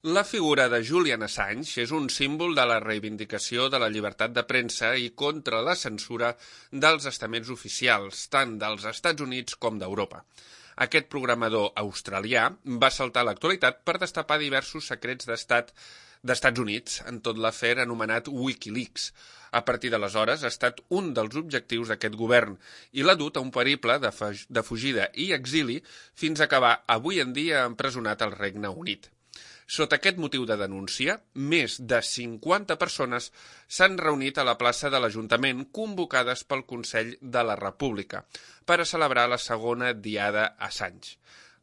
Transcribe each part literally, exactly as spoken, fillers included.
La figura de Julian Assange és un símbol de la reivindicació de la llibertat de premsa i contra la censura dels estaments oficials, tant dels Estats Units com d'Europa. Aquest programador australià va saltar a l'actualitat per destapar diversos secrets d'estat d'Estats Units en tot l'afer anomenat Wikileaks. A partir d'aleshores ha estat un dels objectius d'aquest govern i l'ha dut a un periple de, de fugida i exili fins a acabar avui en dia empresonat al Regne Unit. Sota aquest motiu de denúncia, més de cinquanta persones s'han reunit a la plaça de l'Ajuntament convocades pel Consell de la República per a celebrar la segona Diada Assange.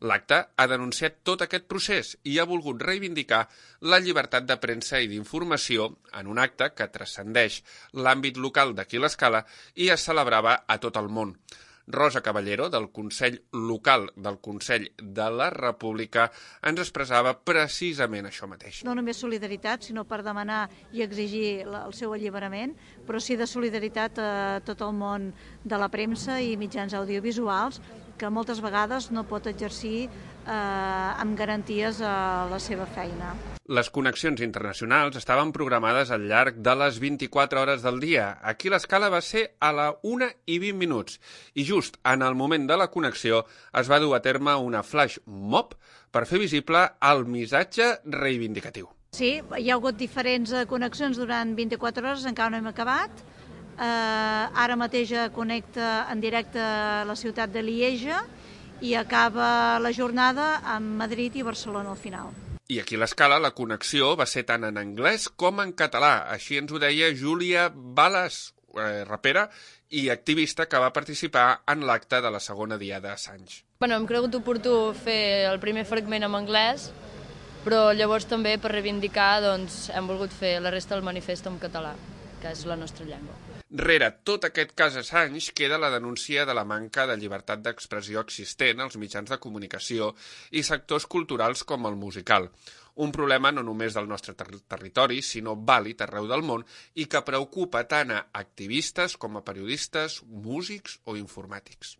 L'acte ha denunciat tot aquest procés i ha volgut reivindicar la llibertat de premsa i d'informació en un acte que transcendeix l'àmbit local d'aquí l'Escala i es celebrava a tot el món. Rosa Caballero, del Consell Local del Consell de la República, ens expressava precisament això mateix. No només solidaritat, sinó per demanar i exigir el seu alliberament, però sí de solidaritat a tot el món de la premsa i mitjans audiovisuals, que moltes vegades no pot exercir eh, amb garanties a la seva feina. Les connexions internacionals estaven programades al llarg de les vint-i-quatre hores del dia. Aquí l'escala va ser a la una i vint minuts i just en el moment de la connexió es va dur a terme una flash mob per fer visible el missatge reivindicatiu. Sí, hi ha hagut diferents connexions durant vint-i-quatre hores, encara no hem acabat. Uh, ara mateix connecta en directe a la ciutat de Lieja i acaba la jornada amb Madrid i Barcelona al final. I aquí a l'Escala la connexió va ser tant en anglès com en català. Així ens ho deia Júlia Balas, eh, rapera i activista que va participar en l'acte de la segona Diada Assange. Bueno, hem cregut oportú fer el primer fragment en anglès, però llavors també per reivindicar doncs, hem volgut fer la resta del manifest en català, que és la nostra llengua. Rere tot aquest cas Assange queda la denúncia de la manca de llibertat d'expressió existent als mitjans de comunicació i sectors culturals com el musical. Un problema no només del nostre ter territori, sinó vàlid arreu del món i que preocupa tant a activistes com a periodistes, músics o informàtics.